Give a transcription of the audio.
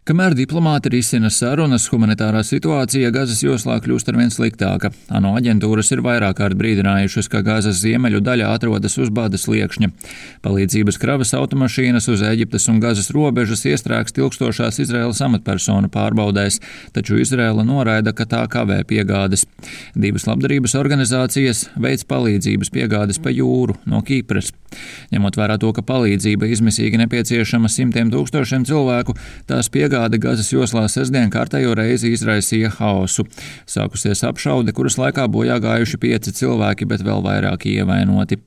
Kamēr diplomāti risina sarunas, humanitārā situācija Gazas joslā kļūst arvien sliktāka. ANO aģentūras ir vairāk kārt brīdinājušas, ka Gazas ziemeļu daļa atrodas uz bada sliekšņa. Palīdzības kravas automašīnas uz Ēģiptes un Gazas robežas iestrēgst ilgstošās Izraēlas amatpersonu pārbaudēs, taču Izraēla noraida, ka tā kavē piegādes. Divas labdarības organizācijas veic palīdzības piegādes pa jūru no Kipras. Ņemot vērā to, ka palīdzība izmisīgi nepieciešama simtiem tūkstošiem cilvēku, tās piegāde Gazas joslā sestdien kārtējo reizi izraisīja haosu. Sākusies apšaude, kuras laikā bojā gājuši 5 cilvēki, bet vēl vairāki ievainoti.